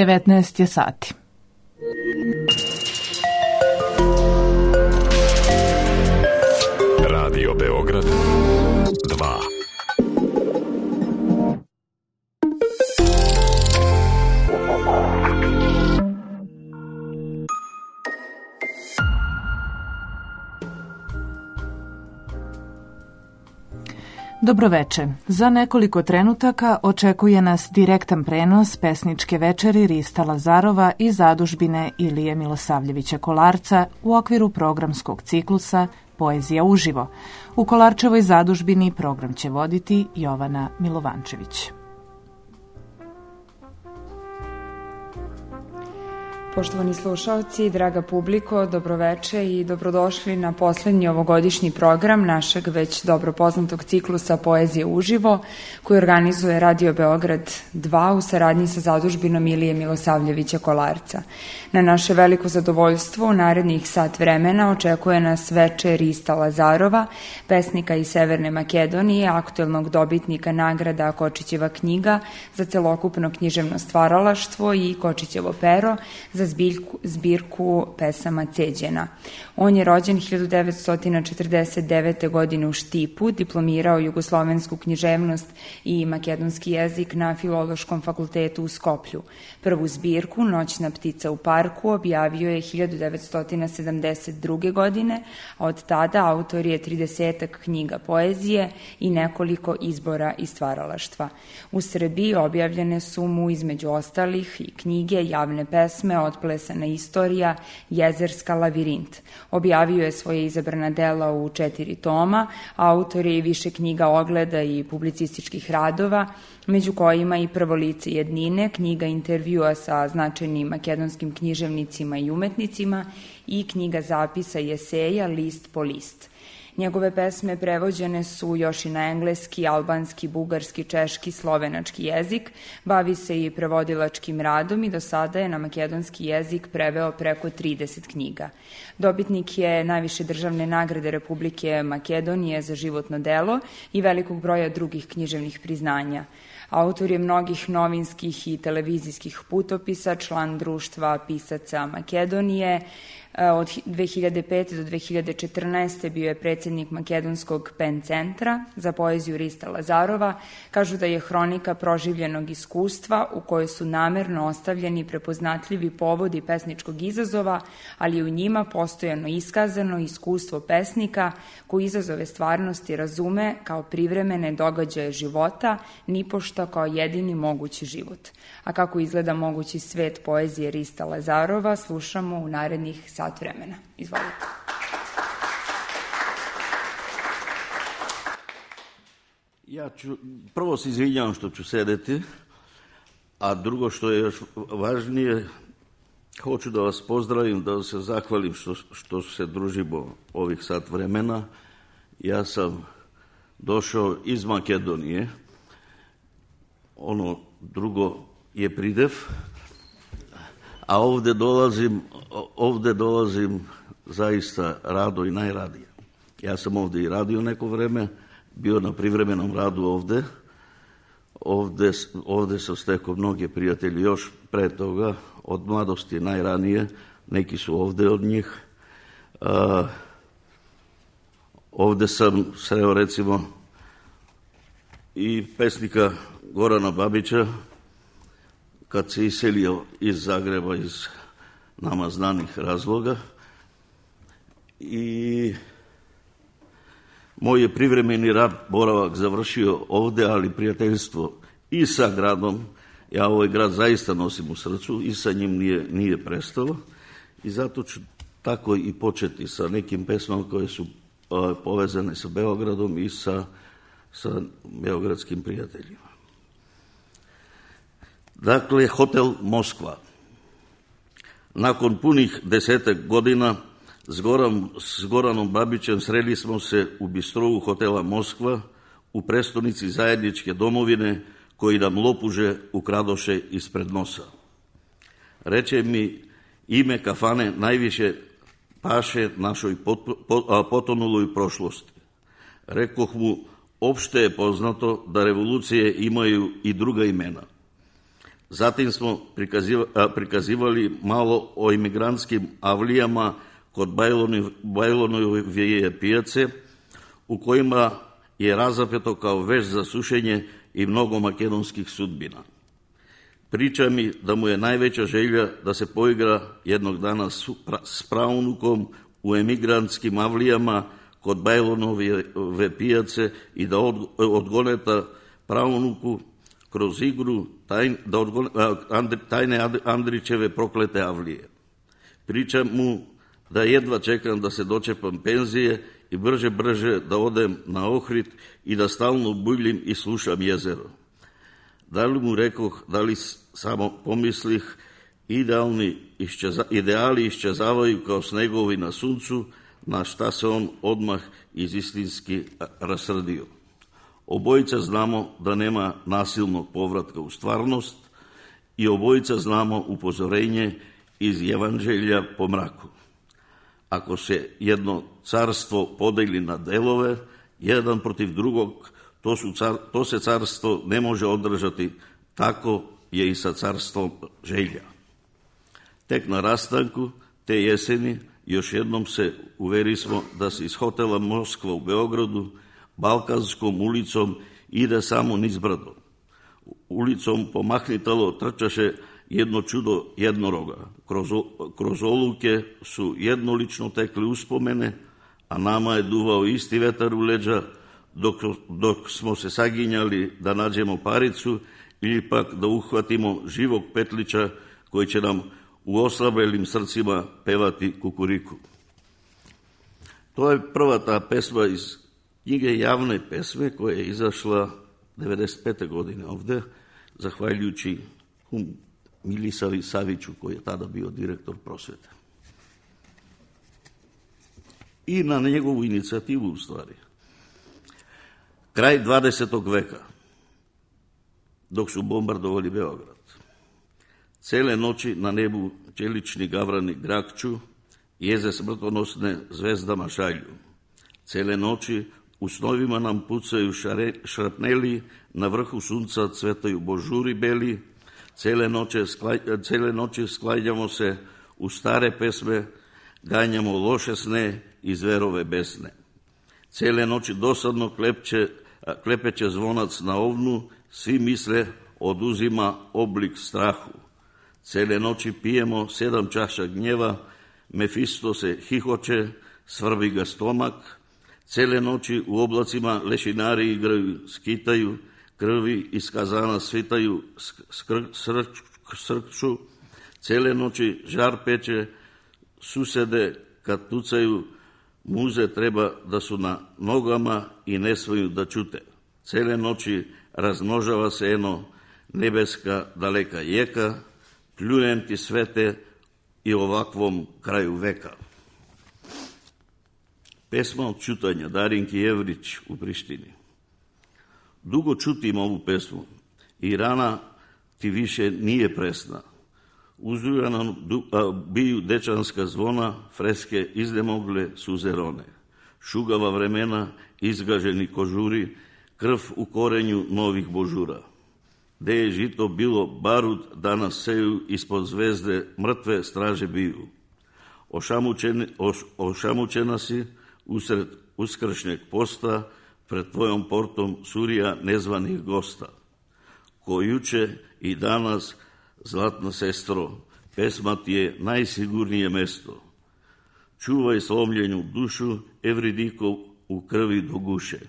19 je sati. Radio Beograd 2. Dobroveče. Za nekoliko trenutaka očekuje nas direktan prenos pesničke večeri Rista Lazarova i zadužbine Ilije Milosavljevića Kolarca u okviru programskog ciklusa Poezija uživo. U Kolarčevoj zadužbini program će voditi Jovana Milovančević. Poštovani slušaoci, draga publiko, dobroveče i dobrodošli na poslednji ovogodišnji program našeg već dobro poznatog ciklusa Poezije uživo, koji organizuje Radio Beograd 2 u saradnji sa zadužbinom Ilije Milosavljevića Kolarca. Na naše veliko zadovoljstvo u narednih sat vremena očekuje nas večer Rista Lazarova, pesnika iz Severne Makedonije, aktuelnog dobitnika nagrada Kočićeva knjiga za celokupno književno stvaralaštvo i Kočićevo pero za zbirku pesama Ceđena. On je rođen 1949. godine u Štipu, diplomirao jugoslovensku književnost i makedonski jezik na Filološkom fakultetu u Skoplju. Prvu zbirku, Noćna ptica u parku, objavio je 1972. godine, a od tada autor je 30 knjiga poezije i nekoliko izbora iz stvaralaštva. U Srbiji objavljene su mu između ostalih i knjige, javne pesme, Otplesana istorija, Jezerska, Lavirint. Objavio je svoje izabrana dela u 4 toma, autor je i više knjiga ogleda i publicističkih radova, među kojima i Prvo lice jednine, knjiga intervjua sa značajnim makedonskim književnicima i umetnicima i knjiga zapisa i eseja List po list. Njegove pesme prevođene su još i na engleski, albanski, bugarski, češki, slovenački jezik, bavi se i prevodilačkim radom i do sada je na makedonski jezik preveo preko 30 knjiga. Dobitnik je najviše državne nagrade Republike Makedonije za životno delo i velikog broja drugih književnih priznanja. Autor je mnogih novinskih i televizijskih putopisa, član Društva pisaca Makedonije. Od 2005. do 2014. bio je predsjednik Makedonskog PEN centra za poeziju Rista Lazarova. Kažu da je hronika proživljenog iskustva u kojoj su namerno ostavljeni prepoznatljivi povodi pesničkog izazova, ali je u njima postojano iskazano iskustvo pesnika koji izazove stvarnosti razume kao privremene događaje života, nipošto kao jedini mogući život. A kako izgleda mogući svet poezije Rista Lazarova, slušamo u narednih sat vremena. Izvolite. Prvo se izvinjavam što ću sedeti, a drugo što je još važnije, hoću da vas pozdravim, da se zahvalim što se družimo ovih sat vremena. Ja sam došao iz Makedonije, ono drugo je pridev, a ovde dolazim zaista rado i najradije. Ja sam ovde i radio neko vreme, bio na privremenom radu ovde. Ovde sam stekao mnoge prijatelje još pre toga, od mladosti najranije, neki su ovde od njih. Ovde sam sreo recimo i pesnika Gorana Babića, kad se iselio iz Zagreba iz nama znanih razloga, i moj je privremeni rad, boravak završio ovde, ali prijateljstvo i sa gradom, ja ovaj grad zaista nosim u srcu i sa njim nije prestalo, i zato ću tako i početi sa nekim pesmama koje su povezane sa Beogradom i sa beogradskim prijateljima. Dakle, hotel Moskva. Nakon punih 10 godina s Goranom Babićem sreli smo se u bistrovu hotela Moskva u prestonici zajedničke domovine, koji nam lopuže ukradoše ispred nosa. Reče mi, ime kafane najviše paše našoj potonuloj prošlosti. Rekoh mu, opšte je poznato da revolucije imaju i druga imena. Zatim smo prikazivali malo o imigrantskim avlijama kod Bajlonove pijace, u kojima je razapeto kao veš za sušenje i mnogo makedonskih sudbina. Priča mi da mu je najveća želja da se poigra jednog dana s praunukom u emigrantskim avlijama kod Bajlonove pijace i da odgoneta praunuku kroz igru tajne Andrićeve proklete avlije. Pričam mu da jedva čekam da se dočepam penzije i brže da odem na Ohrid i da stalno buljim i slušam jezero. Da li mu rekoh, da li samo pomislih, ideali iščezavaju kao snegovi na suncu, na šta se on odmah istinski rasrdio. Obojica znamo da nema nasilnog povratka u stvarnost i obojica znamo upozorenje iz Evanđelja po mraku. Ako se jedno carstvo podeli na delove, jedan protiv drugog, to se carstvo ne može održati, tako je i sa carstvom želja. Tek na rastanku te jeseni još jednom se uverismo da se iz hotela Moskva u Beogradu Balkanskom ulicom ide samo niz brdo. Ulicom pomahnitalo trčaše jedno čudo jednoroga. Kroz oluke su jednolično tekli uspomene, a nama je duvao isti vetar u leđa, dok smo se saginjali da nađemo paricu ili pak da uhvatimo živog petlića koji će nam u oslabelim srcima pevati kukuriku. To je prva ta pesma iz knjige Javne pesme koja je izašla 1995. godine ovde, zahvaljujući Milisavi Saviću koji je tada bio direktor prosvete. I na njegovu inicijativu u stvari. Kraj 20. veka, dok su bombardovali Beograd. Cele noći na nebu čelični gavrani grakću, jeze smrtonosne zvezdama šalju. Cele noći u snovima nam pucaju šrapneli, na vrhu sunca cvetaju božuri beli, cele noći sklanjamo se u stare pesme, ganjamo loše sne i zverove besne. Cele noći dosadno klepeće zvonac na ovnu, svi misle oduzima oblik strahu. Cele noći pijemo 7 čaša gnjeva, Mefisto se hihoće, svrbi ga stomak. Cele noći u oblacima lešinari igraju, skitaju, krvi iz kazana svitaju, srkću. Cele noći žar peče, susede kad tucaju, muze treba da su na nogama i ne smiju da čute. Cele noći razmnožava se eno nebeska daleka jeka, pljujem ti svete i ovakvom kraju veka. Pesma od čutanja Darinki Jevrić u Prištini. Dugo čutim ovu pesmu i rana ti više nije presna. Uzujana biju dečanska zvona, freske iznemogle suzerone. Šugava vremena, izgaženi kožuri, krv u korenju novih božura. Gde je žito bilo barut, danas seju, ispod zvezde mrtve straže biju. Ošamućena si usred uskršnjeg posta, pred tvojom portom surija nezvanih gosta. Ko juče i danas, zlatna sestro, pesma ti je najsigurnije mesto. Čuvaj slomljenju dušu, Evridiko u krvi do guše.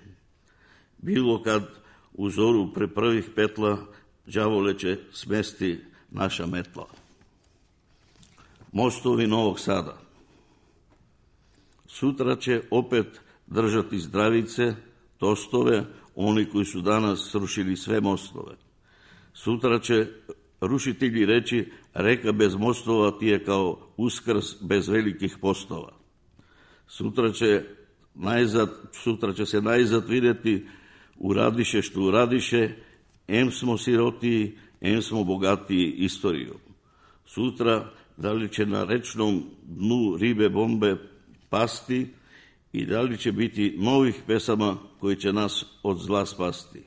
Bilo kad u zoru pre prvih petla, đavole će smesti naša metla. Mostovi Novog Sada. Sutra će opet držati zdravice, tostove, oni koji su danas srušili sve mostove. Sutra će rušitelji reći, reka bez mostova ti je kao uskrs bez velikih postova. Sutra će se najzad vidjeti uradiše što uradiše, em smo sirotiji, em smo bogatiji istorijom. Sutra da li će na rečnom dnu ribe bombe pasti i da li će biti novih pesama koji će nas od zla spasti.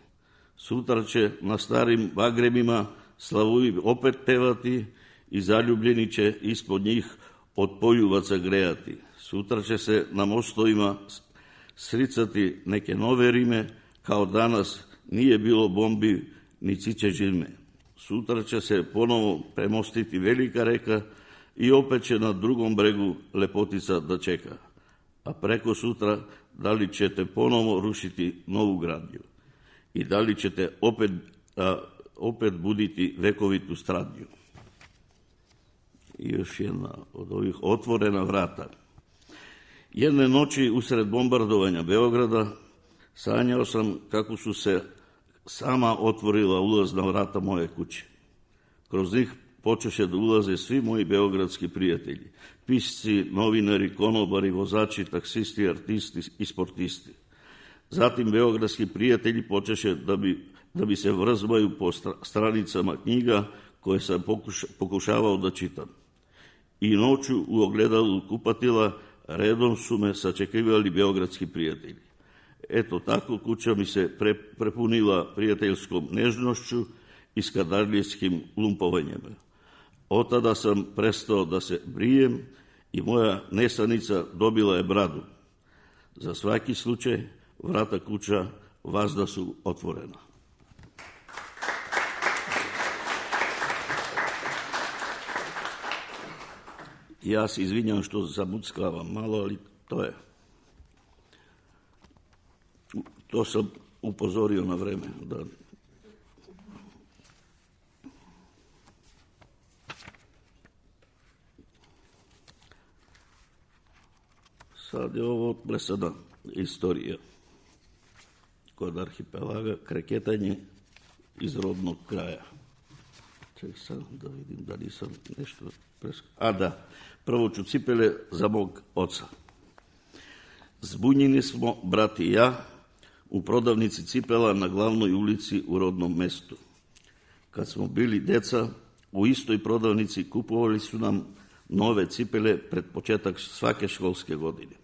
Sutra će na starim bagremima Slavuji opet pevati i zaljubljeni će ispod njih od poljuvaca grejati. Sutra će se na mostovima sricati neke nove rime, kao danas nije bilo bombi ni ciće žilme. Sutra će se ponovo premostiti velika reka i opet će na drugom bregu lepotica da čeka. A preko sutra da li ćete ponovo rušiti novu gradnju i da li ćete opet buditi vekovitu stradnju. I još jedna od ovih otvorena vrata. Jedne noći usred bombardovanja Beograda sanjao sam kako su se sama otvorila ulazna vrata moje kuće. Kroz njih počeše da ulaze svi moji beogradski prijatelji, pisci, novinari, konobari, vozači, taksisti, artisti i sportisti. Zatim beogradski prijatelji počeše da bi se vrzmaju po stranicama knjiga koje sam pokušavao da čitam. I noću u ogledalu kupatila redom su me sačekivali beogradski prijatelji. Eto tako kuća mi se prepunila prijateljskom nežnošću i skadarlijskim lumpovanjem. Od tada sam prestao da se brijem i moja nesanica dobila je bradu. Za svaki slučaj vrata kuća vazda su otvorena. Ja se izvinjam što zamuckavam malo, ali to je. To sam upozorio na vreme. Da. Sad je ovo presada istorija kod arhipelaga, kreketanje iz rodnog kraja. Ček sam da vidim da nisam nešto preskočio. Da, prvo ću cipele za mog oca. Zbunjeni smo, brat i ja, u prodavnici cipela na glavnoj ulici u rodnom mestu. Kad smo bili deca, u istoj prodavnici kupovali su nam nove cipele pred početak svake školske godine.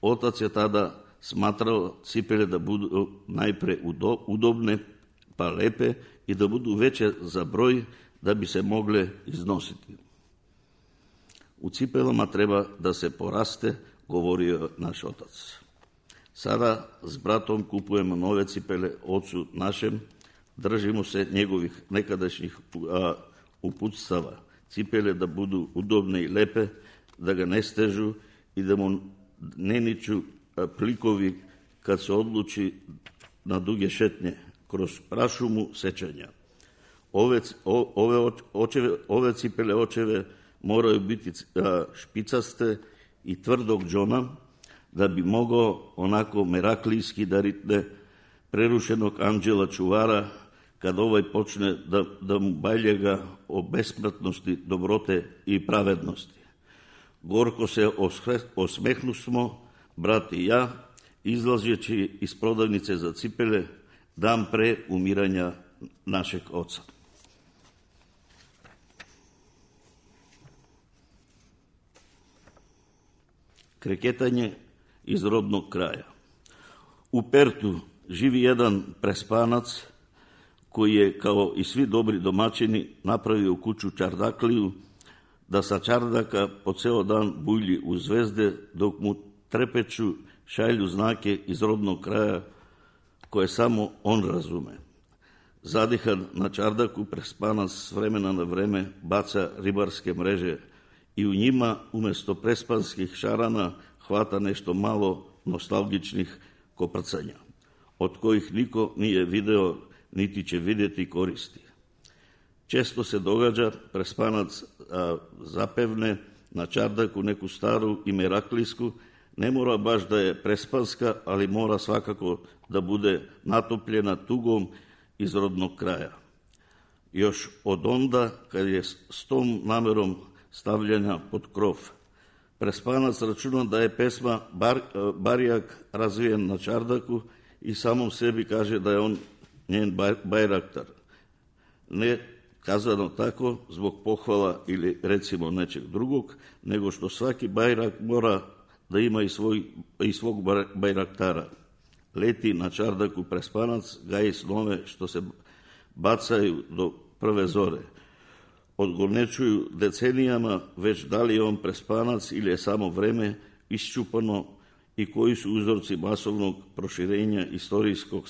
Otac je tada smatrao cipele da budu najpre udobne pa lepe i da budu veće za broj da bi se mogle iznositi. U cipelama treba da se poraste, govorio naš otac. Sada s bratom kupujemo nove cipele ocu našem, držimo se njegovih nekadašnjih uputstava. Cipele da budu udobne i lepe, da ga ne stežu i da mu ne niču plikovi kad se odluči na duge šetnje kroz prašumu sećanja. Ove cipele očeve moraju biti špicaste i tvrdog džona da bi mogao onako meraklijski da ritne prerušenog anđela čuvara kad ovaj počne da mu baljega o besmrtnosti, dobrote i pravednosti. Gorko se osmehnu smo, brat i ja, izlazeći iz prodavnice za cipele dan pre umiranja našeg oca. Kreketanje iz rodnog kraja. U Pertu živi jedan prespanac koji je, kao i svi dobri domaćini, napravio kuću čardakliju da sa čardaka po ceo dan bulji u zvezde dok mu trepeću šalju znake iz rodnog kraja koje samo on razume. Zadihan na čardaku prespanac s vremena na vreme baca ribarske mreže i u njima umesto prespanskih šarana hvata nešto malo nostalgičnih koprcanja, od kojih niko nije video niti će vidjeti koristi. Često se događa prespanac zapevne na čardaku neku staru i meraklijsku, ne mora baš da je prespanska, ali mora svakako da bude natopljena tugom iz rodnog kraja. Još od onda, kad je s tom namerom stavljena pod krov, prespanac računa da je pesma Barijak razvijen na čardaku i samom sebi kaže da je on njen bajraktar. Ne kazano tako zbog pohvala ili recimo nečeg drugog, nego što svaki bajrak mora da ima i svog bajraktara. Leti na čardaku prespanac, gaji snove što se bacaju do prve zore. Odgonečuju decenijama već da li je on prespanac ili je samo vreme iščupano i koji su uzorci masovnog proširenja istorijskog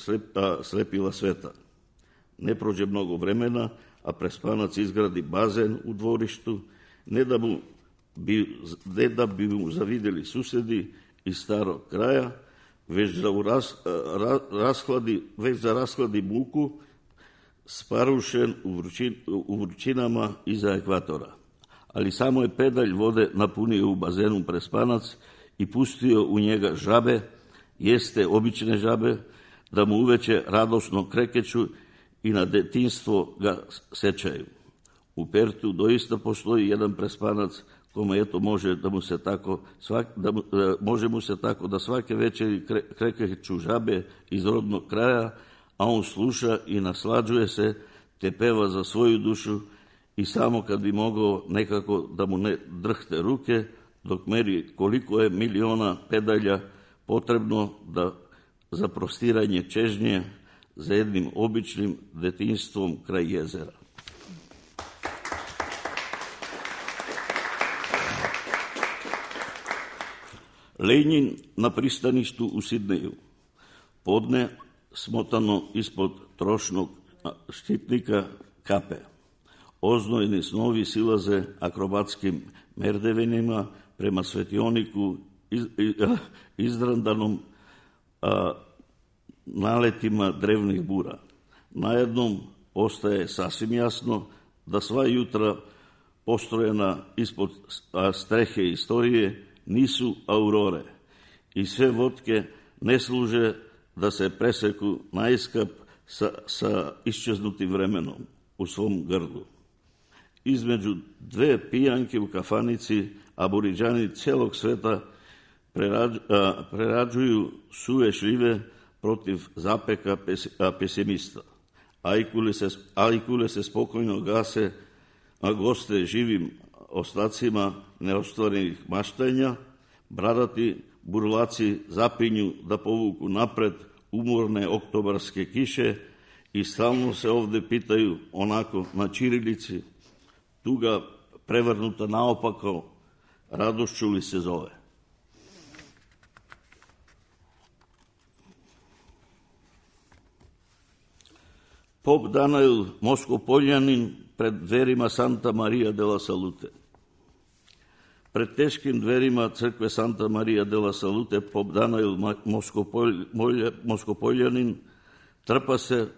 slepila sveta. Ne prođe mnogo vremena, a prespanac izgradi bazen u dvorištu, ne da bi mu zavideli susedi iz starog kraja, već za rashladi muku, sparušen u vrućinama iza ekvatora. Ali samo je pedalj vode napunio u bazenu prespanac i pustio u njega žabe, jeste obične žabe, da mu uveče radosno krekeću i na detinjstvo ga sećaju. U Pertu doista postoji jedan prespanac kome može mu se tako da svake večeri krekeću žabe iz rodnog kraja, a on sluša i naslađuje se, te peva za svoju dušu i samo kad bi mogao nekako da mu ne drhte ruke, dok meri koliko je miliona pedalja potrebno za prostiranje čežnje za jednim običnim detinjstvom kraj jezera. Lenin na pristaništu u Sidneju. Podne smotano ispod trošnog štitnika kape. Oznojeni snovi silaze akrobatskim merdevenima prema svetioniku izdrandanom naletima drevnih bura. Najednom ostaje sasvim jasno da sva jutra postrojena ispod strehe istorije nisu aurore i sve vodke ne služe da se preseku naiskap sa iščeznutim vremenom u svom grlu. Između dve pijanke u kafanici aboriđani celog sveta prerađuju suve šljive protiv zapeka pesimista. Ajkule se spokojno gase, a goste živim ostacima neostvarenih maštanja, bradati burlaci zapinju da povuku napred umorne oktobarske kiše i stalno se ovde pitaju onako na ćirilici, tuga prevrnuta naopako, radošću li se zove. Pop Danail Moskopoljanin pred dverima Santa Maria della Salute. Pred teškim dverima crkve Santa Maria della Salute pop Danail Moskopoljanin trpa se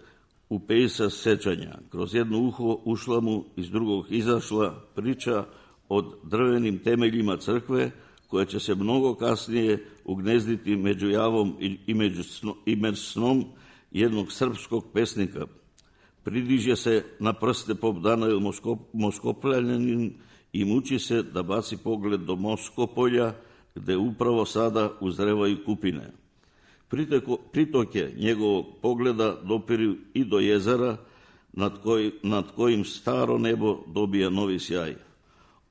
u pejsa sećanja. Kroz jedno uho ušla mu, iz drugog izašla priča o drvenim temeljima crkve, koja će se mnogo kasnije ugnezditi među javom i među snom jednog srpskog pesnika. Pridiže se na prste pop Danail Moskopljanin i muči se da baci pogled do Moskopolja, gde upravo sada uzrevaju kupine. Pritoke njegovog pogleda dopiru i do jezera, nad kojim staro nebo dobija novi sjaj.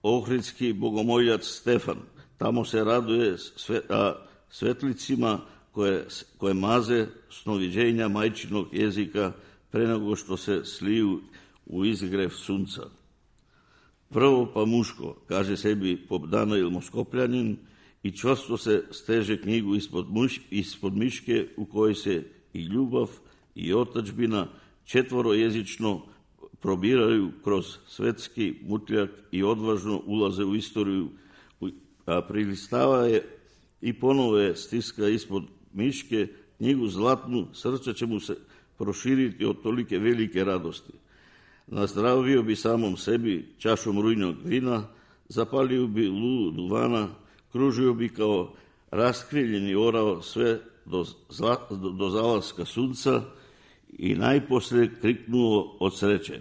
Ohridski bogomoljac Stefan tamo se raduje svetlicima koje maze snoviđenja majčinog jezika pre nego što se sliju u izgrev sunca. Prvo pa muško, kaže sebi pop Danail Moskopljanin i čvrsto se steže knjigu ispod miške u kojoj se i ljubav i otadžbina četvorojezično probiraju kroz svetski mutljak i odvažno ulaze u istoriju, a prilistava je i ponovo je stiska ispod miške knjigu zlatnu, srce će mu se proširiti od tolike velike radosti. Nazdravio bi samom sebi čašom rujnog vina, zapalio bi lulu duvana, kružio bi kao raskriljeni orao sve do zalaska sunca i najposle kriknuo od sreće.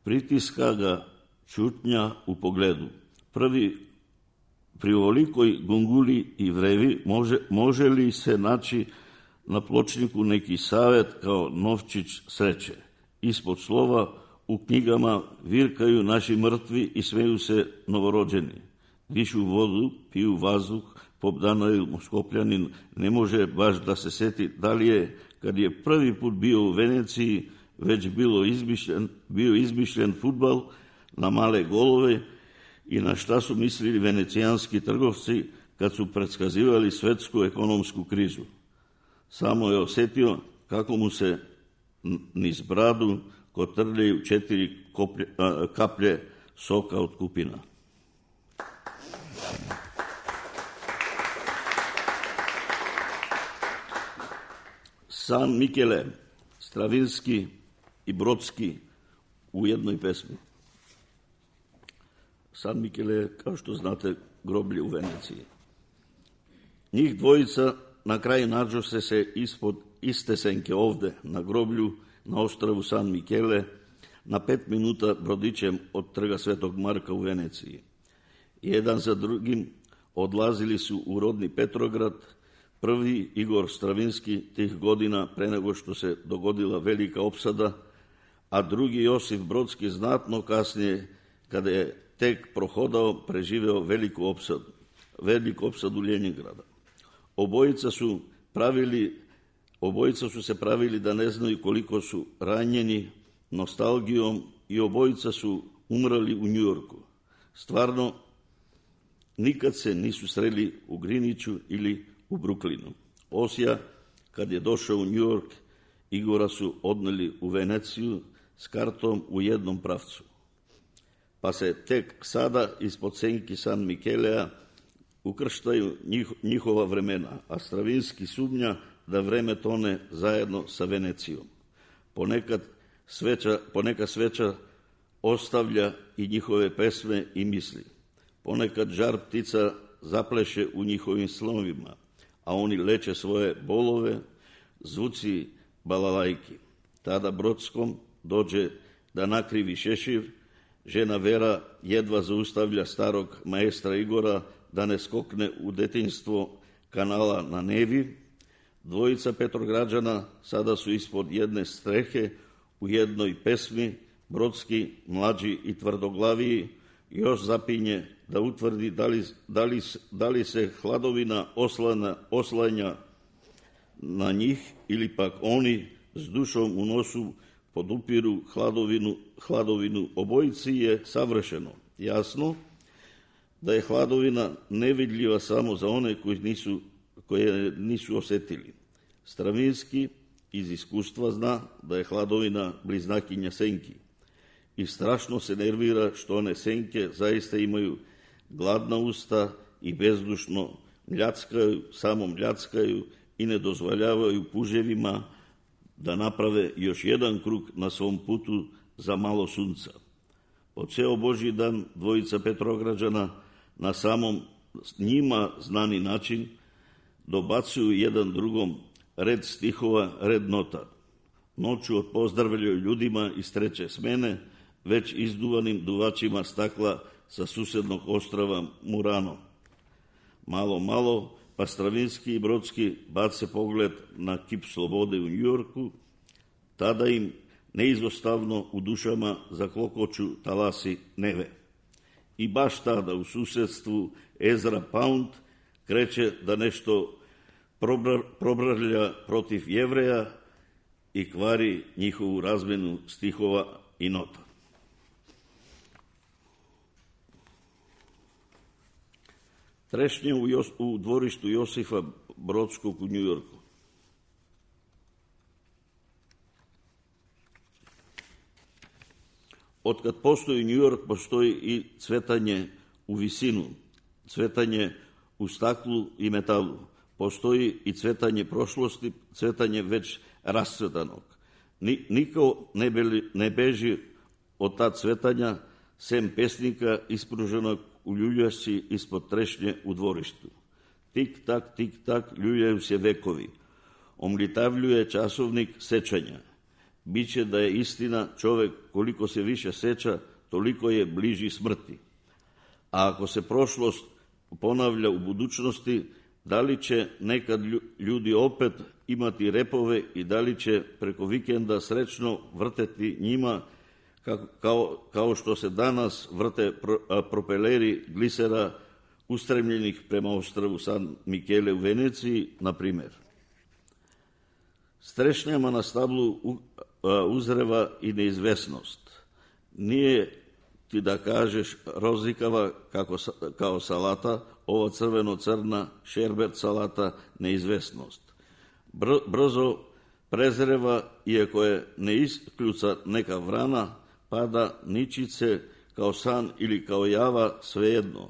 Pritiska ga čutnja u pogledu. Pri ovolikoj gunguli i vrevi može li se naći na pločniku neki savet kao novčić sreće? Ispod slova u knjigama virkaju naši mrtvi i smeju se novorođeni. Dišu vodu, piju vazduh, pop Danail Moskopljanin ne može baš da se seti da li je, kad je prvi put bio u Veneciji, već bio izmišljen fudbal na male golove i na šta su mislili venecijanski trgovci kad su predskazivali svetsku ekonomsku krizu. Samo je osetio kako mu se niz bradu kotrljaju 4 kaplje soka od kupina. San Michele, Stravinski i Brodski u jednoj pesmi. San Michele je, kao što znate, groblje u Veneciji. Njih dvojica na kraju nađu se ispod iste senke ovde, na groblju, na ostrvu San Michele, na 5 minuta brodićem od trga Svetog Marka u Veneciji. Jedan za drugim odlazili su u rodni Petrograd, prvi Igor Stravinski tih godina pre nego što se dogodila velika opsada, a drugi Josif Brodski znatno kasnije, kada je tek prohodao, preživeo veliku opsadu Ljeningrada. Obojica su se pravili da ne znaju koliko su ranjeni nostalgijom i obojica su umrali u Njujorku. Stvarno, nikad se nisu sreli u Greenwichu ili u Brooklynu. Osija, kad je došao u Njujork, Igora su odneli u Veneciju s kartom u jednom pravcu. Pa se tek sada ispod senki San Michelea ukrštaju njihova vremena, a Stravinski sumnja da vreme tone zajedno sa Venecijom. Ponekad sveča ostavlja i njihove pesme i misli. Ponekad žar ptica zapleše u njihovim snovima, a oni leče svoje bolove, zvuci balalajki. Tada Brodskom dođe da nakrivi šešir, žena Vera jedva zaustavlja starog maestra Igora da ne skokne u detinjstvo kanala na Nevi. Dvojica Petrograđana sada su ispod jedne strehe u jednoj pesmi. Brodski, mlađi i tvrdoglaviji, još zapinje da utvrdi da li se hladovina oslanja na njih ili pak oni s dušom u nosu podupiru hladovinu. Obojici je savršeno jasno da je hladovina nevidljiva samo za one koje nisu osetili. Stravinski iz iskustva zna da je hladovina bliznakinja senki i strašno se nervira što one senke zaista imaju gladna usta i bezdušno mljackaju i ne dozvoljavaju puževima da naprave još jedan krug na svom putu za malo sunca. Po ceo Božji dan dvojica Petrograđana na samom njima znani način dobacuju jedan drugom red stihova, red nota. Noću odpozdravljaju ljudima iz treće smene, već izduvanim duvačima stakla sa susednog ostrava Murano. Malo, pa Stravinski i Brodski bace pogled na kip slobode u Njujorku, tada im neizostavno u dušama zaklokoču talasi Neve. I baš tada u susedstvu Ezra Pound kreće da nešto probrlja protiv Jevreja i kvari njihovu razmenu stihova i nota. Trešnje u dvorištu Josifa Brodskog u Njujorku. Otkad postoji Njujork, postoji i cvetanje u visinu, cvetanje u staklu i metalu. Postoji i cvetanje prošlosti, cvetanje već rascvetanog. Niko ne beži od ta cvetanja, sem pesnika ispruženog u ljuljašci ispod trešnje u dvorištu. Tik tak, ljuljaju se vekovi. Omlitavljuje časovnik sečanja. Biće da je istina čovek koliko se više seća, toliko je bliži smrti. A ako se prošlost ponavlja u budućnosti, da li će nekad ljudi opet imati repove i da li će preko vikenda srećno vrteti njima kao što se danas vrte propeleri glisera ustremljenih prema ostrvu San Michele u Veneciji, na primer. S trešnjama na stablu uzreva i neizvesnost. Nije ti da kažeš rozlikava kao salata, ova crveno-crna, šerbet salata, neizvesnost. Brzo prezreva, iako je ne iskljuca neka vrana, pada ničice kao san ili kao java, svejedno.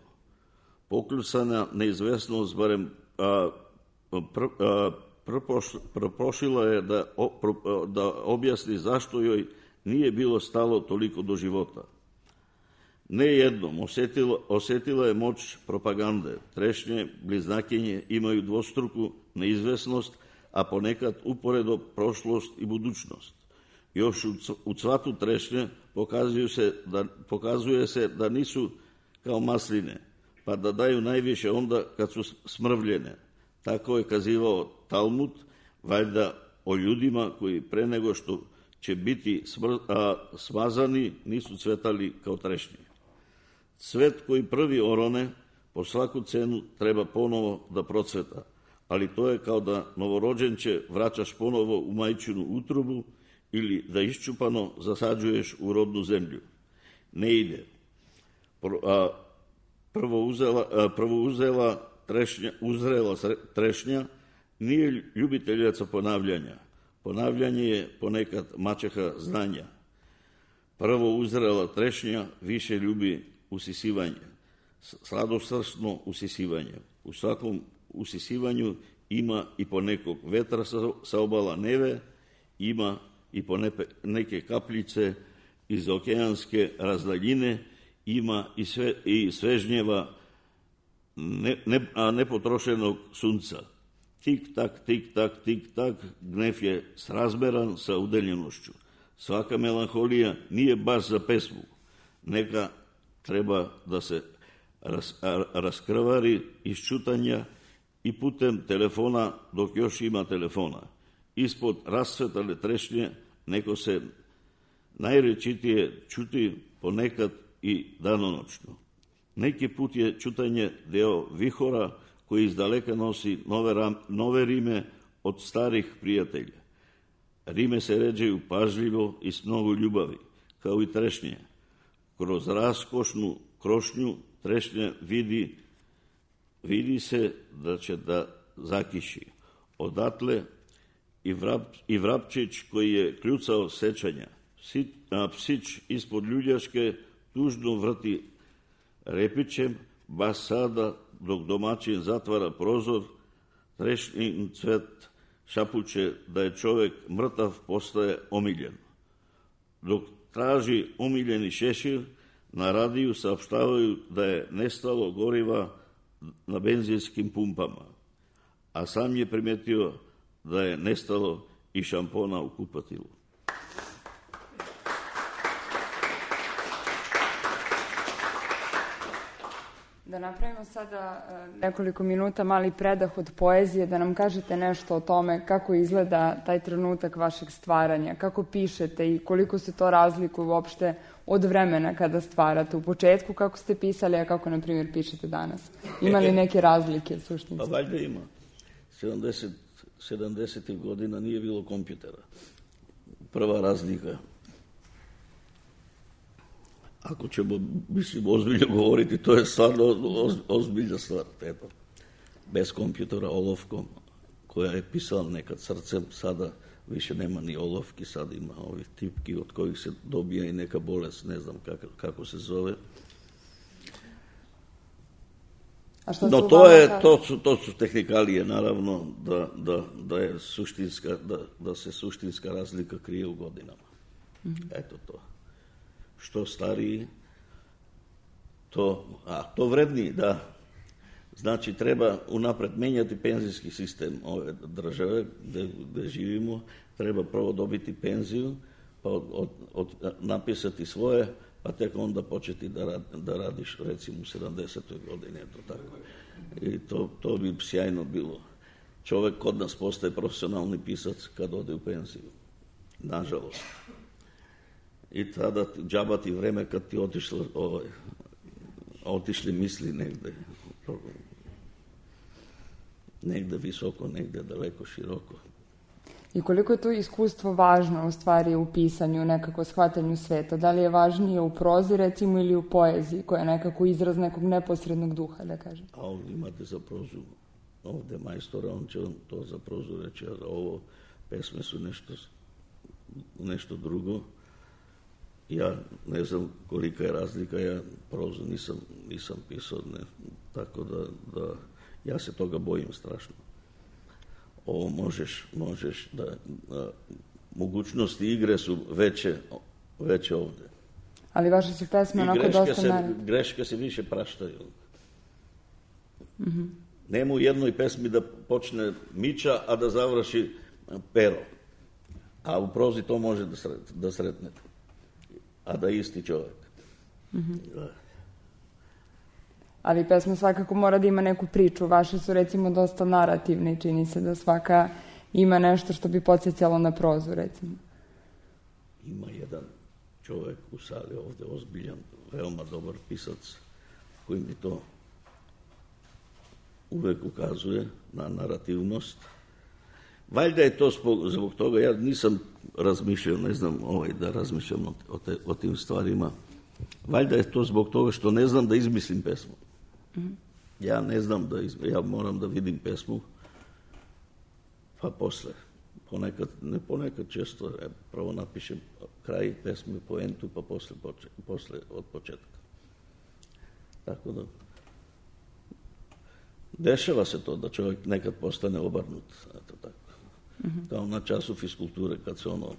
Pokljucana neizvesnost barem propošila je da objasni zašto joj nije bilo stalo toliko do života. Ne jednom osjetila je moć propagande. Trešnje, bliznakinje imaju dvostruku neizvesnost, a ponekad uporedo prošlost i budućnost. Još u cvatu trešnje pokazuje se da nisu kao masline, pa da daju najviše onda kad su smrvljene. Tako je kazivao Talmud, valjda o ljudima koji pre nego što će biti smazani nisu cvetali kao trešnje. Cvet koji prvi orone po svaku cenu treba ponovo da procveta, ali to je kao da novorođenče vraćaš ponovo u majčinu utrobu ili da iščupano zasađuješ u rodnu zemlju. Ne ide. Uzrela trešnja nije ljubiteljica ponavljanja. Ponavljanje je ponekad maćeha znanja. Prvo uzrela trešnja više ljubi usisivanje, sladosrsno usisivanje. U svakom usisivanju ima i po nekog vetra sa obala neve, ima i po neke kapljice iz okeanske razdaljine, ima i svežnjeva nepotrošenog sunca. Tik-tak, tik-tak, tik-tak, gnev je srazmeran sa udeljenošću. Svaka melanholija nije baš za pesmu. Neka treba da se raskrvari iz čutanja i putem telefona dok još ima telefona. Ispod rasvetale trešnje neko se najrečitije čuti ponekad i danonoćno. Neki put je čutanje deo vihora koji izdaleka nosi nove rime od starih prijatelja. Rime se ređaju pažljivo i s mnogo ljubavi, kao i trešnje. Kroz raskošnu krošnju trešnje vidi se da će da zakiši. Odatle i vrapčić koji je kljucao sećanja. Psić ispod ljuljaške tužno vrti repićem, baš sada dok domaćin zatvara prozor, trešnjin cvet šapuće da je čovjek mrtav postaje omiljen. Dok traži omiljeni šešir, na radiju saopštavaju da je nestalo goriva na benzinskim pumpama, a sam je primetio da je nestalo i šampona u kupatilu. Da napravimo sada nekoliko minuta mali predah od poezije, da nam kažete nešto o tome kako izgleda taj trenutak vašeg stvaranja, kako pišete i koliko se to razlikuje uopšte od vremena kada stvarate. U početku kako ste pisali, a kako, na primjer, pišete danas? Ima li neke razlike suštinske? Pa valjda ima. 70. godina nije bilo kompjutera. Prva razlika. Ako ćemo, ozbiljno govoriti, to je stvarno ozbiljna stvar. Eto. Bez kompjutera, olovkom, koja je pisala nekad srcem, sada više nema ni olovki, sada ima ovih tipki od kojih se dobija i neka bolest, ne znam kako se zove. No, to su tehnikalije, naravno, da se suštinska razlika krije u godinama. Eto to. Što stariji, to vredniji, da. Znači, treba unapred menjati penzijski sistem ove države gde živimo. Treba prvo dobiti penziju, pa napisati svoje, pa tek onda početi da radiš, recimo, u 70. godini. I to bi sjajno bilo. Čovek kod nas postaje profesionalni pisac kad ode u penziju. Nažalost. I tada džaba ti vreme kad ti otišli misli negde visoko, negde daleko, široko. I koliko je to iskustvo važno u stvari u pisanju, nekako shvatanju sveta? Da li je važnije u prozi recimo ili u poeziji koja je nekako izraz nekog neposrednog duha, da kažem? A ovdje imate za prozu, ovdje majstora, on će vam to za prozu reći, a ovo pesme su nešto drugo. Ja ne znam kolika je razlika, ja prozu nisam pisao, tako da ja se toga bojim strašno. Ovo možeš da mogućnosti igre su veće ovdje. Ali vaše su pesme onako dosta greške se više praštaju. Mm-hmm. Nema u jednoj pesmi da počne Mića, a da završi Pero. A u prozi to može da sretnete. A da isti čovjek. Mm-hmm. Ali pesma svakako mora da ima neku priču. Vaše su recimo dosta narativne i čini se da svaka ima nešto što bi podsjećalo na prozu recimo. Ima jedan čovjek u sali ovdje, ozbiljan, veoma dobar pisac, koji mi to uvek ukazuje na narativnost. Valjda je to zbog toga, ja nisam razmišljao, ne znam da razmišljam o tim stvarima. Valjda je to zbog toga što ne znam da izmislim pesmu. Mm-hmm. Ja ne znam ja moram da vidim pesmu, pa posle. Ponekad često prvo napišem kraj pesme, poentu, pa posle od početka. Tako da dešava se to da čovjek nekad postane obrnut. Eto tako. Mm-hmm. Kao na času fiskulture kad se ono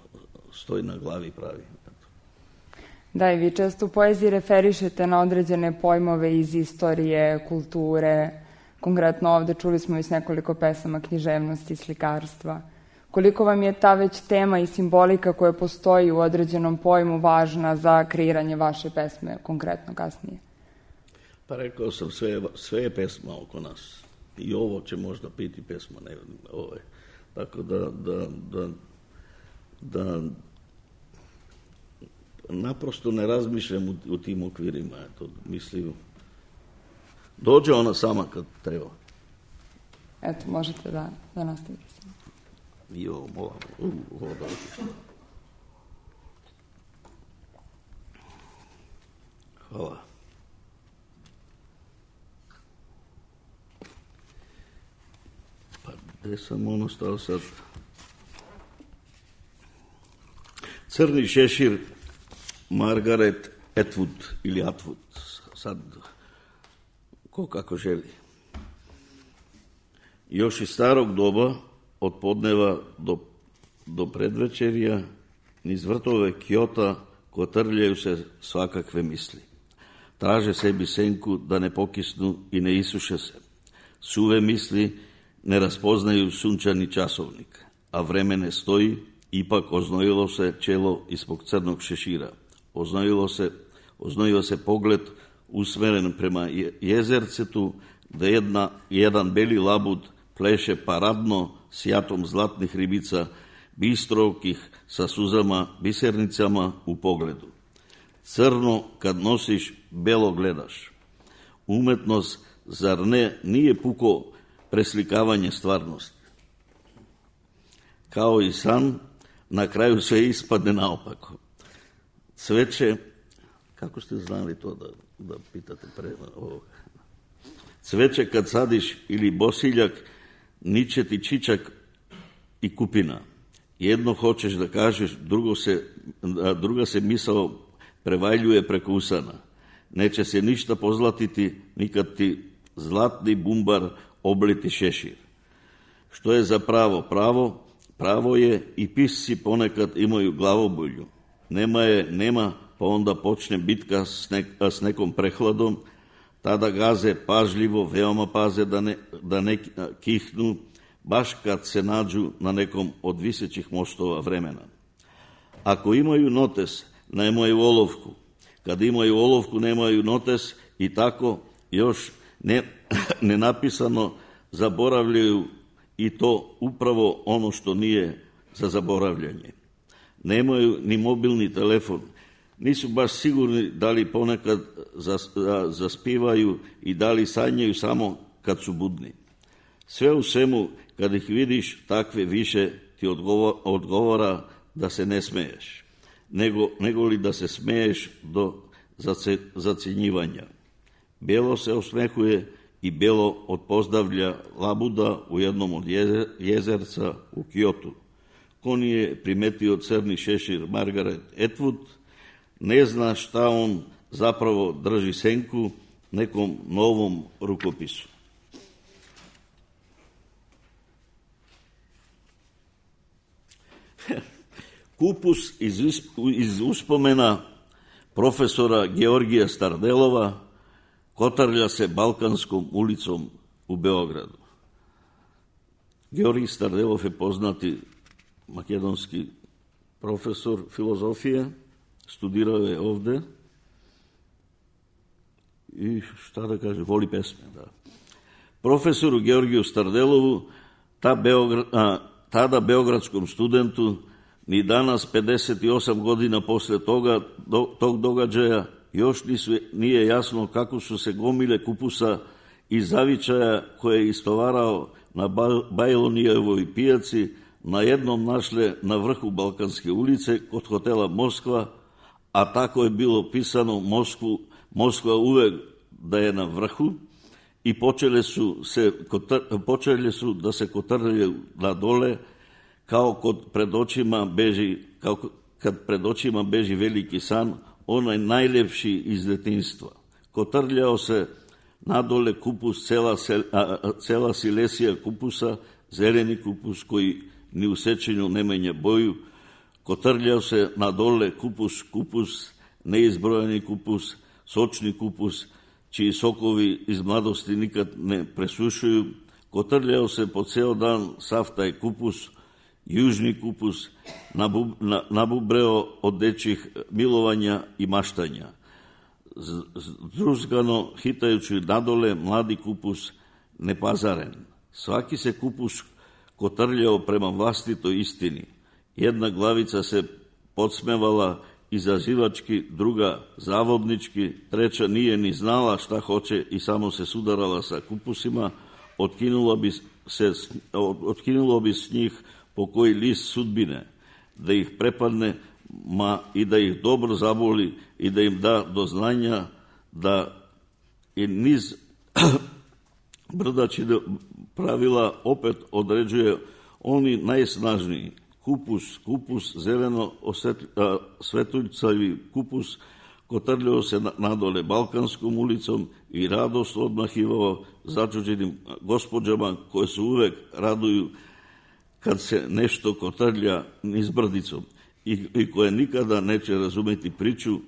stoji na glavi i pravi. Eto. Da, i vi često u poeziji referišete na određene pojmove iz istorije, kulture. Konkretno ovdje čuli smo iz nekoliko pesama književnosti, slikarstva. Koliko vam je ta već tema i simbolika koja postoji u određenom pojmu važna za kreiranje vaše pesme, konkretno kasnije? Pa rekao sam, sve je pesma oko nas. I ovo će možda biti pesma. Tako da naprosto ne razmišljam u tim okvirima. Mislim, dođe ona sama kad treba. Eto, možete da nastavite se. Hvala. Pa gde sam stao sad? Crni šešir, Margaret Atwood ili Atwood, sad ko kako želi. Još iz starog doba, od podneva do predvečerja, niz vrtove Kjota kotrljaju se svakakve misli. Traže sebi senku da ne pokisnu i ne isuše se. Suve misli ne raspoznaju sunčani časovnik, a vreme ne stoji, ipak oznojilo se čelo ispod crnog šešira. Oznojio se pogled usmeren prema jezercetu, da jedan beli labud pleše paradno s jatom zlatnih ribica, bistrovkih sa suzama, bisernicama u pogledu. Crno kad nosiš, belo gledaš. Umetnost, zar nije puko preslikavanje stvarnosti? Kao i san, na kraju sve ispadne naopako. Cveće, kako ste znali to da pitate pre ovoga? Cveće kad sadiš ili bosiljak, niće ti čičak i kupina. Jedno hoćeš da kažeš, druga se misao prevaljuje preko usana. Neće se ništa pozlatiti, nikad ti zlatni bumbar obliti šešir. Što je za pravo? Pravo je i pisci ponekad imaju glavobolju. Nema, pa onda počne bitka s nekom prehladom, tada gaze pažljivo, veoma paze da ne kihnu, baš kad se nađu na nekom od visećih mostova vremena. Ako imaju notes, nemaju olovku. Kad imaju olovku, nemaju notes i tako još nenapisano zaboravljaju, i to upravo ono što nije za zaboravljanje. Nemaju ni mobilni telefon. Nisu baš sigurni da li ponekad zaspivaju i da li sanjaju samo kad su budni. Sve u svemu, kad ih vidiš, takve više ti odgovara da se ne smeješ, nego li da se smeješ do zacjenjivanja. Belo se osmehuje i Belo odpozdavlja labuda u jednom od jezerca u Kyotu. Ko nije primetio crni šešir Margaret Atwood, ne zna šta on zapravo drži senku nekom novom rukopisu. Kupus iz uspomena profesora Georgija Stardelova kotarlja se Balkanskom ulicom u Beogradu. Georgij Stardelov je poznati makedonski profesor filozofije, studirao je ovde i šta da kaže, voli pesme. Da. Profesoru Georgiju Stardelovu, tada beogradskom studentu, ni danas, 58 godina posle tog događaja, još nije jasno kako su se gomile kupusa i zavičaja koje je istovarao na Bajlonijevoj pijaci na jednom našle na vrhu Balkanske ulice kod hotela Moskva, a tako je bilo pisano Moskva uvek da je na vrhu, i počeli su da se kotrljaju na dole, kao kad pred očima beži veliki san, onaj najlepši iz detinjstva. Kotrljao se nadole kupus, cela silesija kupusa, zeleni kupus koji ni u sečenju ne menja boju. Kotrljao se nadole kupus, neizbrojani kupus, sočni kupus, čiji sokovi iz mladosti nikad ne presušuju. Kotrljao se po ceo dan sav taj kupus, južni kupus, nabubreo od dečjih milovanja i maštanja. Zdruzgano, hitajući nadole, mladi kupus, nepazaren. Svaki se kupus kotrljao prema vlastitoj istini. Jedna glavica se podsmevala izazivački, druga zavodnički, treća nije ni znala šta hoće i samo se sudarala sa kupusima, otkinulo bi s njih po koji list sudbine, da ih prepadne, i da ih dobro zaboli i da im da do znanja da i niz brdačine pravila opet određuje oni najsnažniji. Kupus, zeleno svetuljcavi kupus, kotrljao se nadole Balkanskom ulicom i radost odmahivao začuđenim gospođama koje se uvek raduju kad se nešto kotrlja niz brdicom i koje nikada neće razumeti priču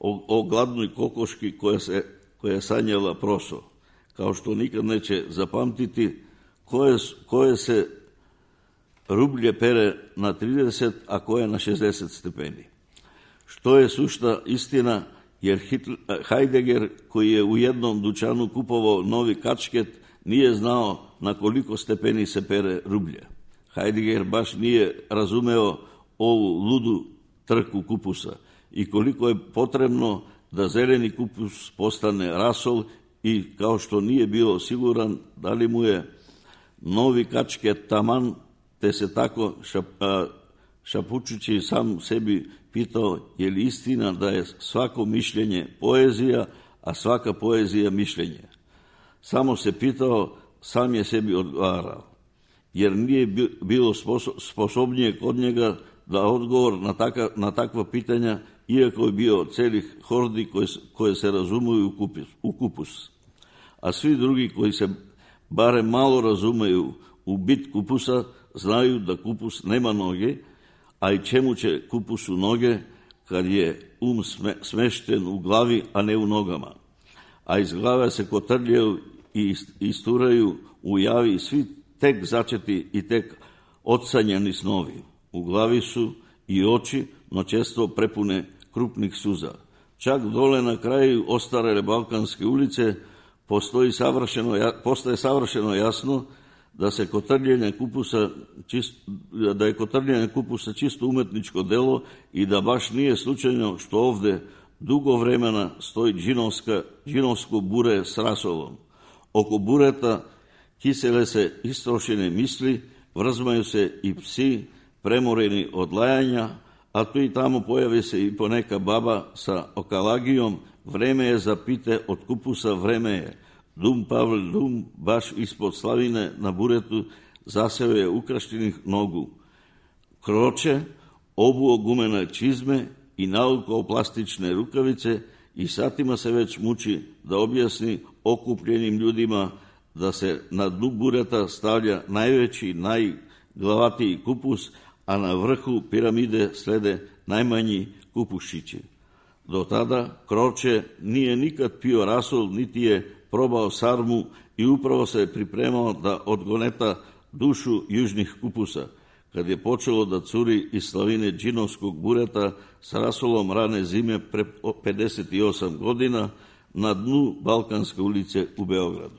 o gladnoj kokoški koja je sanjala proso, kao što nikad neće zapamtiti koje se rublje pere na 30, a koje na 60 stepeni. Što je sušta istina, jer Heidegger, koji je u jednom dućanu kupovao novi kačket, nije znao na koliko stepeni se pere rublje. Heidegger baš nije razumeo ovu ludu trku kupusa i koliko je potrebno da zeleni kupus postane rasol, i kao što nije bio siguran da li mu je novi kačket taman, te se tako šapučući sam sebi pitao je li istina da je svako mišljenje poezija, a svaka poezija mišljenje. Samo se pitao, sam je sebi odgovarao, jer nije bilo sposobnije kod njega da odgovor na takva pitanja, iako je bio celih hordi koje se razumuju u kupus. A svi drugi koji se bare malo razumeju u bit kupusa, znaju da kupus nema noge, a i čemu će kupusu noge kad je smešten u glavi, a ne u nogama. A iz glave se kotrljaju i isturaju u javi svi tek začeti i tek odsanjani snovi. U glavi su i oči, no često prepune krupnih suza. Čak dole na kraju ostarele Balkanske ulice postaje savršeno jasno da je kotrljanje kupusa čisto umetničko delo i da baš nije slučajno što ovde dugo vremena stoji džinovsko bure s rasolom. Oko bureta kisele se istrošene misli, vrzmaju se i psi premoreni od lajanja, a tu i tamo pojavi se i poneka baba sa okalagijom. Vreme je za pite od kupusa, vreme je. Dum Pavle Dum, baš ispod slavine na buretu, zaseo je ukraštenih nogu. Kroče, obuo gumene čizme i naukao plastične rukavice i satima se već muči da objasni okupljenim ljudima da se na dnu bureta stavlja najveći, najglavatiji kupus, a na vrhu piramide slede najmanji kupušići. Do tada Kroče nije nikad pio rasol, niti je probao sarmu i upravo se pripremao da odgoneta dušu južnih kupusa, kad je počelo da curi iz slavine džinovskog bureta s rasolom rane zime pre 58 godina na dnu Balkanske ulice u Beogradu.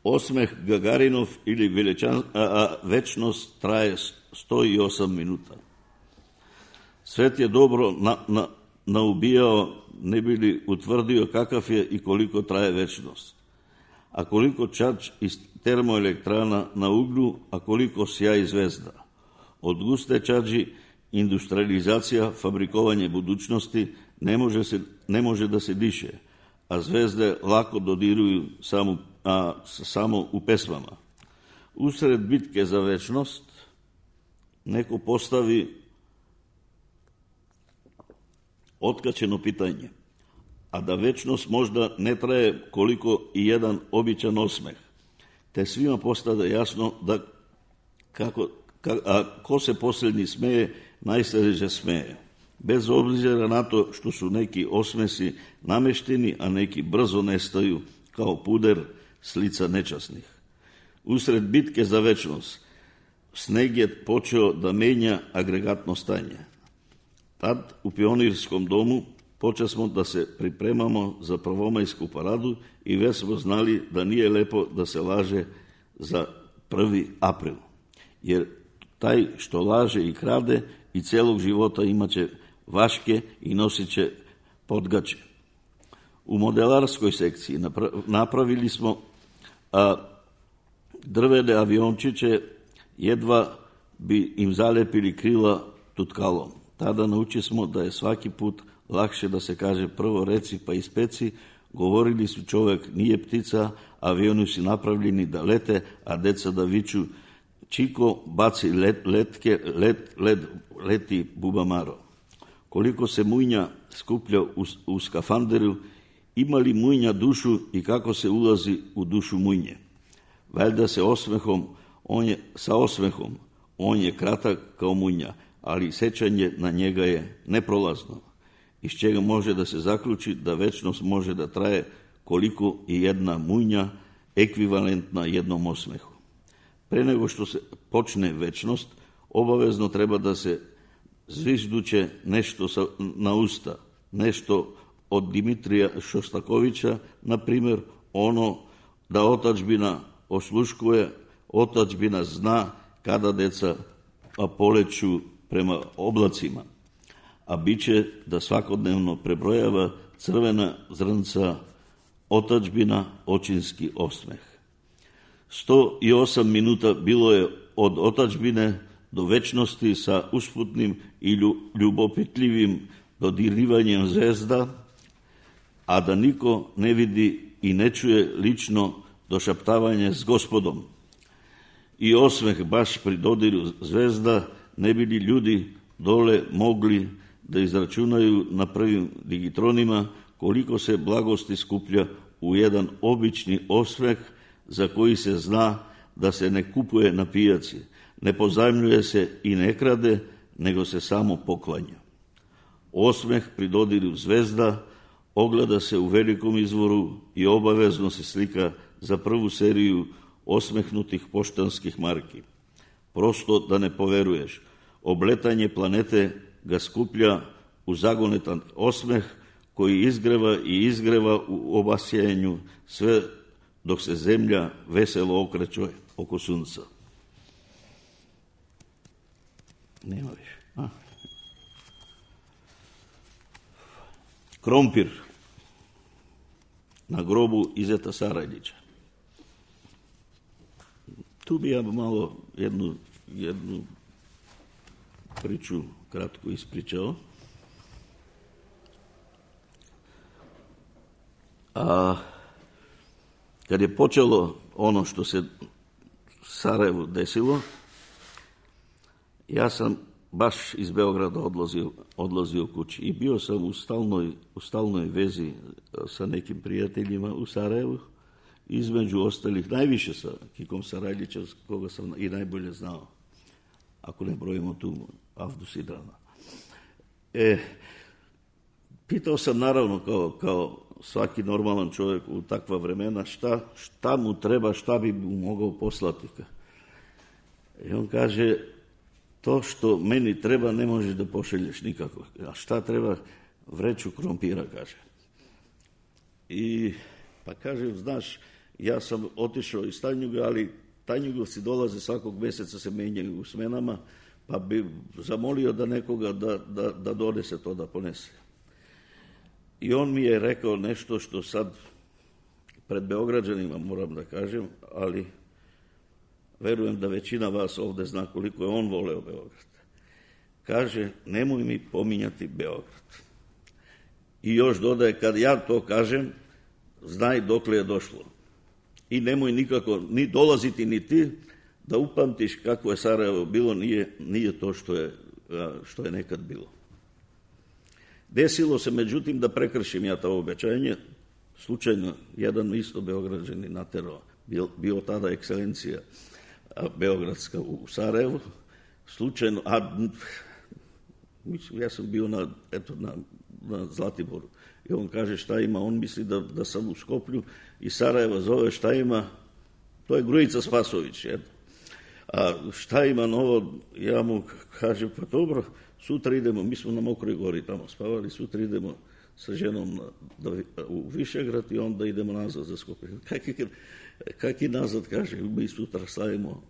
Osmeh Gagarinov ili večnost traje 108 minuta. Svet je dobro naubijao, ne bi li utvrdio kakav je i koliko traje večnost. A koliko čač iz termoelektrana na uglju, a koliko sjaj zvezda. Od guste čađi industrializacija, fabrikovanje budućnosti ne može da se diše, a zvezde lako dodiruju samo u pesmama. Usred bitke za večnost neko postavi otkačeno pitanje, a da večnost možda ne traje koliko i jedan običan osmeh, te svima postade jasno da ko se posljednji smeje, najsređe smeje. Bez obzira na to što su neki osmesi namešteni, a neki brzo nestaju kao puder s lica nečasnih. Usred bitke za večnost sneg je počeo da menja agregatno stanje. Tad u Pionirskom domu počesmo da se pripremamo za prvomajsku paradu i već smo znali da nije lepo da se laže za 1. april. Jer taj što laže i krade i celog života imaće vaške i nosit će podgače. U modelarskoj sekciji napravili smo drvene aviončiće, jedva bi im zalepili krila tutkalom. Tada nauči smo da je svaki put lakše da se kaže prvo reci pa ispeci. Govorili su čovek nije ptica, avioni su napravljeni da lete, a deca da viču čiko baci leti bubamaro. Koliko se mujnja skuplja u skafanderu, ima li mujnja dušu i kako se ulazi u dušu mujnje. Valjda sa osmehom, on je kratak kao mujnja, ali sećanje na njega je neprolazno, iz čega može da se zaključi da večnost može da traje koliko i jedna mujnja ekvivalentna jednom osmehu. Pre nego što se počne večnost, obavezno treba da se zvižduće nešto na usta, nešto od Dimitrija Šostakovića, na primjer ono da otadžbina osluškuje, otadžbina zna kada deca poleću prema oblacima, a biće da svakodnevno prebrojava crvena zrnca otadžbina, očinski osmeh. 108 minuta bilo je od otadžbine do večnosti sa usputnim i ljubopitljivim dodirivanjem zvezda, a da niko ne vidi i ne čuje lično došaptavanje s Gospodom. I osmeh baš pri dodiru zvezda, ne bi li ljudi dole mogli da izračunaju na prvim digitronima koliko se blagosti skuplja u jedan obični osmeh za koji se zna da se ne kupuje na pijaci, ne pozajmljuje se i ne krade, nego se samo poklanja. Osmeh pri dodiru zvezda ogleda se u velikom izvoru i obavezno se slika za prvu seriju osmehnutih poštanskih marki. Prosto da ne poveruješ, obletanje planete ga skuplja u zagonetan osmeh koji izgreva i izgreva u obasjajanju sve dok se zemlja veselo okreće oko sunca. Nema više. Krompir. na grobu Izeta Sarajlića. Tu bi ja malo jednu priču kratko ispričao. A kad je počelo ono što se Sarajevu desilo, ja sam baš iz Beograda odlazio kući i bio sam u stalnoj vezi sa nekim prijateljima u Sarajevu, između ostalih najviše sa Kikom Sarajlićem, koga sam i najbolje znao, ako ne brojimo tu Avdu Sidrana. Pitao sam naravno kao svaki normalan čovjek u takva vremena šta mu treba, šta bi mu mogao poslati. I on kaže, to što meni treba ne možeš da pošelješ nikako. A šta treba? Vreću krompira, kaže. I pa kaže, znaš, ja sam otišao iz Tanjuga, ali Tanjugovci dolaze svakog mjeseca, se menjaju u smenama, pa bi zamolio da nekoga da donese to, da ponese. I on mi je rekao nešto što sad pred Beograđanima moram da kažem, ali verujem da većina vas ovde zna koliko je on voleo Beograd. Kaže, nemoj mi pominjati Beograd. I još dodaje, kad ja to kažem, znaj dokle je došlo. I nemoj nikako ni dolaziti ni ti da upamtiš kako je Sarajevo bilo, nije to što je nekad bilo. Desilo se, međutim, da prekršim ja to obećanje. Slučajno, jedan isto Beograđani naterao, bio tada ekscelencija beogradska u Sarajevu, slučajno, ja sam bio na Zlatiboru. I on kaže šta ima, on misli da sam u Skoplju i Sarajeva zove šta ima, to je Grujica Spasović. A šta ima novo, ja mu kažem, pa dobro, sutra idemo, mi smo na Mokroj gori tamo spavali, sutra idemo sa ženom u Višegrad i onda idemo nazad za Skoplje. Kak i nazad, kaže, mi sutra slavimo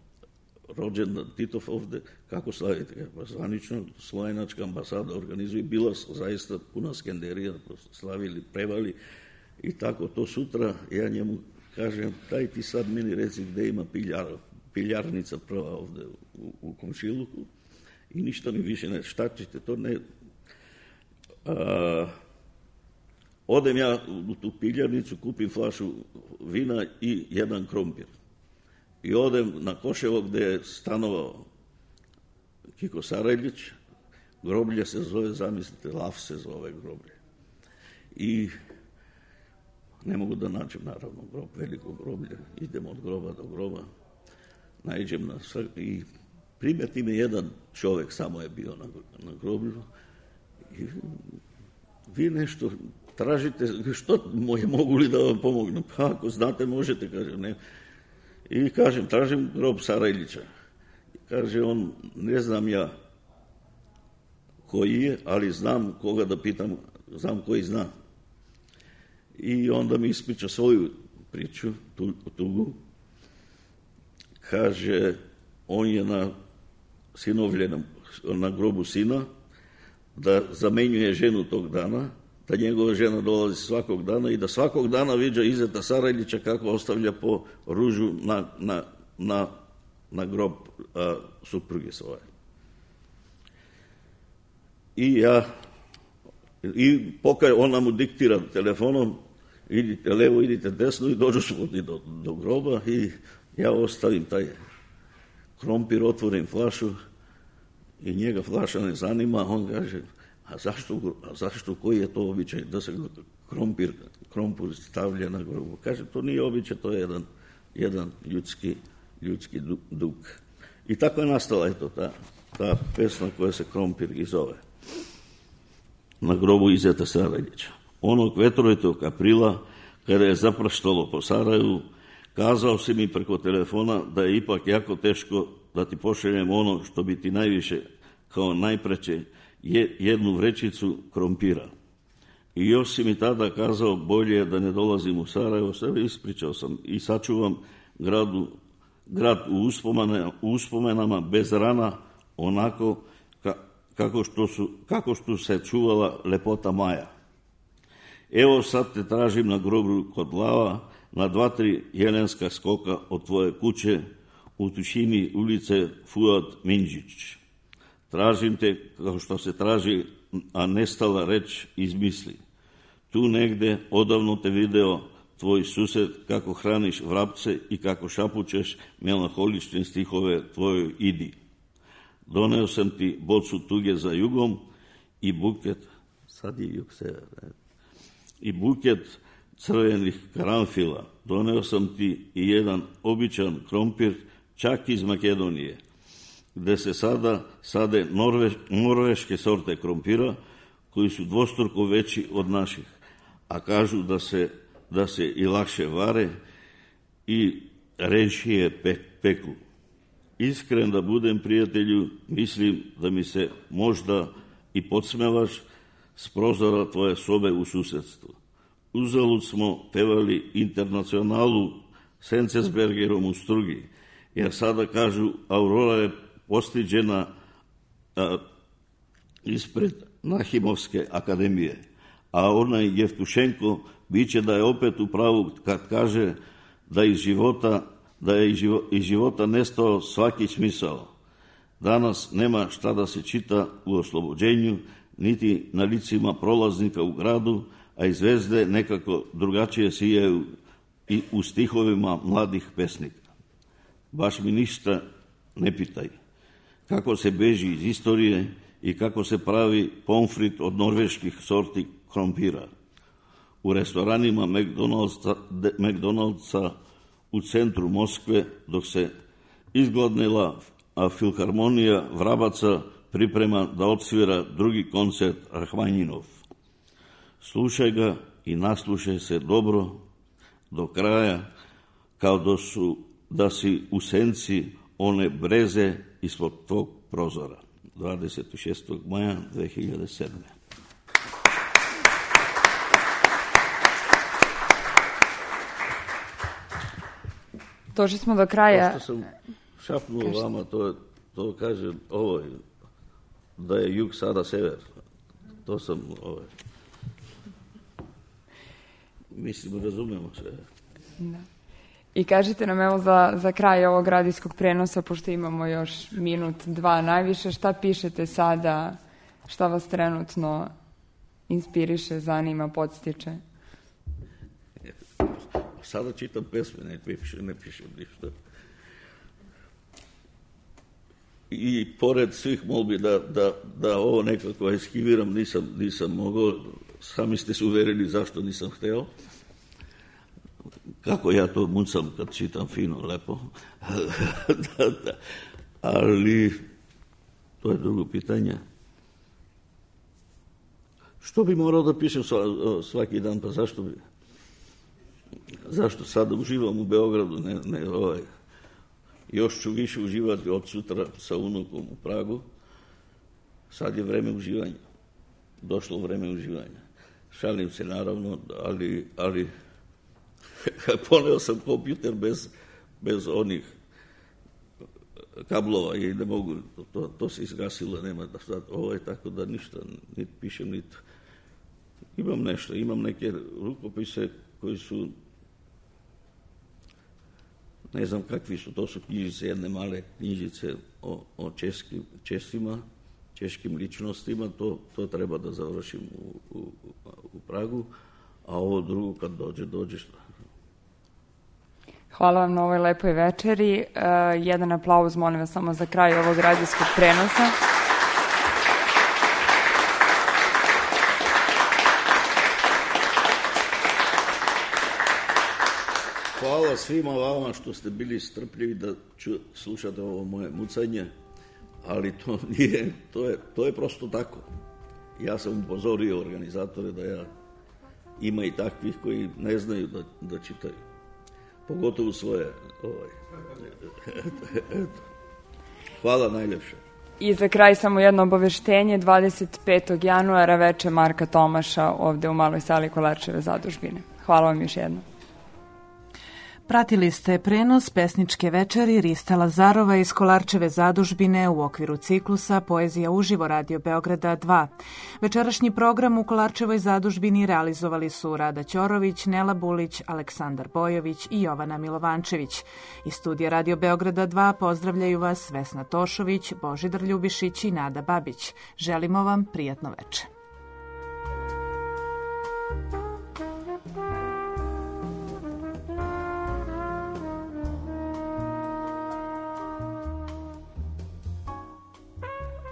rođendan Titov ovde, kako slavite? Pa zvanično, slovenačka ambasada organizuje, bila zaista puna skenderija, slavili, prevali i tako to sutra. Ja njemu kažem, daj ti sad meni reci gde ima piljarnica prva ovde u komšiluku i ništa mi više ne, šta ćete, to ne. Odem ja u tu piljarnicu, kupim flašu vina i jedan krompir. I odem na Koševo gde je stanovao Kiko Sarajlić, groblje se zove, zamislite, Laf se zove groblje. I ne mogu da nađem, naravno, grob, veliko groblje, idem od groba do groba, naiđem na sve i primeti me jedan čovek, samo je bio na groblju i vi nešto tražite, što mogu li da vam pomognem? Pa ako znate, možete, kaže, ne. I kažem, tražim grob Sarajlića. Kaže on, ne znam ja koji je, ali znam koga da pitam, znam koji zna. I onda mi ispriča svoju priču, tugu. Kaže, on je na sinovljenom, na grobu sina, da zamenjuje ženu tog dana, da njegova žena dolazi svakog dana i da svakog dana viđa Izeta Sarajlića kako ostavlja po ružu na grob supruge svoje. I ona mu diktira telefonom, idite levo, idite desno i dođu svodi do groba i ja ostavim taj krompir, otvorim flašu i njega flaša ne zanima, on kaže, a zašto, koji je to običaj da se krompir stavlja na grobu? Kaže, to nije običaj, to je jedan ljudski dug. I tako je nastala ta pesma koja se Krompir i zove. Na grobu Izeta Sarajlića. Onog vetrovitog aprila, kada je zapraštalo po Sarajevu, kazao si mi preko telefona da je ipak jako teško da ti pošaljem ono što bi ti najviše, kao najpreće, jednu vrećicu krompira. I još si mi tada kazao, bolje je da ne dolazim u Sarajevo, sve ispričao sam i sačuvam grad u uspomenama bez rana, onako kako što se čuvala lepota Maja. Evo sad te tražim na groblju kod Lava, na 2-3 jelenska skoka od tvoje kuće, u tišini ulice Fuad Minđić. Tražim te kao što se traži, a nestala reč izmisli. Tu negde odavno te video tvoj sused kako hraniš vrapce i kako šapućeš melanholične stihove tvojoj idi. Doneo sam ti bocu tuge za jugom i buket, sad je jug sever, i buket crvenih karanfila. Doneo sam ti i jedan običan krompir, čak iz Makedonije, gde se sada sade norveške sorte krompira, koji su dvostruko veći od naših, a kažu da se i lakše vare i režije peku. Iskren da budem, prijatelju, mislim da mi se možda i podsmevaš s prozora tvoje sobe u susedstvu. Uzalud smo pevali Internacionalu Sencesbergerom u Strugi, jer sada kažu Aurora je postiđena ispred Nahimovske akademije, a onaj Jevtušenko biće da je opet u pravu kad kaže da je iz života nestao svaki smisao. Danas nema šta da se čita u Oslobođenju, niti na licima prolaznika u gradu, a i zvezde nekako drugačije sijaju i u stihovima mladih pesnika. Baš mi ništa ne pitaj. Kako se beži iz istorije i kako se pravi pomfrit od norveških sorti krompira. U restoranima McDonald'sa u centru Moskve, dok se izgladnila, a Filharmonija Vrabaca priprema da odsvira drugi koncert Rahmanjinov. Slušaj ga i naslušaj se dobro do kraja, kao da si u senci one breze ispod tvog prozora. 26. maja 2007. Došli smo do kraja. Pošto sam šapnuo vama, to kaže ovo, da je jug sada sever. To sam, mislim, razumemo sve. Da. I kažite nam, evo, za kraj ovog radijskog prenosa, pošto imamo još minut, 2 najviše, šta pišete sada, šta vas trenutno inspiriše, zanima, podstiče? Sada čitam pesme, ne pišem ništa. I pored svih molbi da ovo nekako eskiviram, nisam mogao, sami ste se uverili zašto nisam hteo. Kako ja to mucam kad čitam fino, lepo. Ali to je drugo pitanje. Što bi morao da pišem svaki dan, pa zašto bi? Zašto sada uživam u Beogradu, još ću više uživati od sutra sa unukom u Pragu. Sad je vreme uživanja. Došlo vreme uživanja. Šalim se naravno, ali poneo sam kompjuter bez onih kablova i ne mogu, to se izgasilo, nema da sad, tako da ništa, niti pišem, niti imam nešto, imam neke rukopise koji su, ne znam kakvi su, to su knjižice, jedne male knjižice o češkim ličnostima, to treba da završim u Pragu, a ovo drugo kad dođe što. Hvala vam na ovoj lepoj večeri. Jedan aplauz, molim vas, samo za kraj ovog radijskog prenosa. Hvala svima vama što ste bili strpljivi da slušate ovo moje mucanje, ali to nije, to je prosto tako. Ja sam upozorio organizatore da ima i takvih koji ne znaju da čitaju. Pogotovo svoje. Hvala najljepše. I za kraj samo jedno obaveštenje, 25. januara veče Marka Tomaša ovde u Maloj sali Kolarčeve zadužbine. Hvala vam još jednom. Pratili ste prenos pesničke večeri Rista Lazarova iz Kolarčeve zadužbine u okviru ciklusa Poezija uživo Radio Beograda 2. Večerašnji program u Kolarčevoj zadužbini realizovali su Rada Ćorović, Nela Bulić, Aleksandar Bojović i Jovana Milovančević. Iz studija Radio Beograda 2 pozdravljaju vas Vesna Tošović, Božidar Ljubišić i Nada Babić. Želimo vam prijatno veče.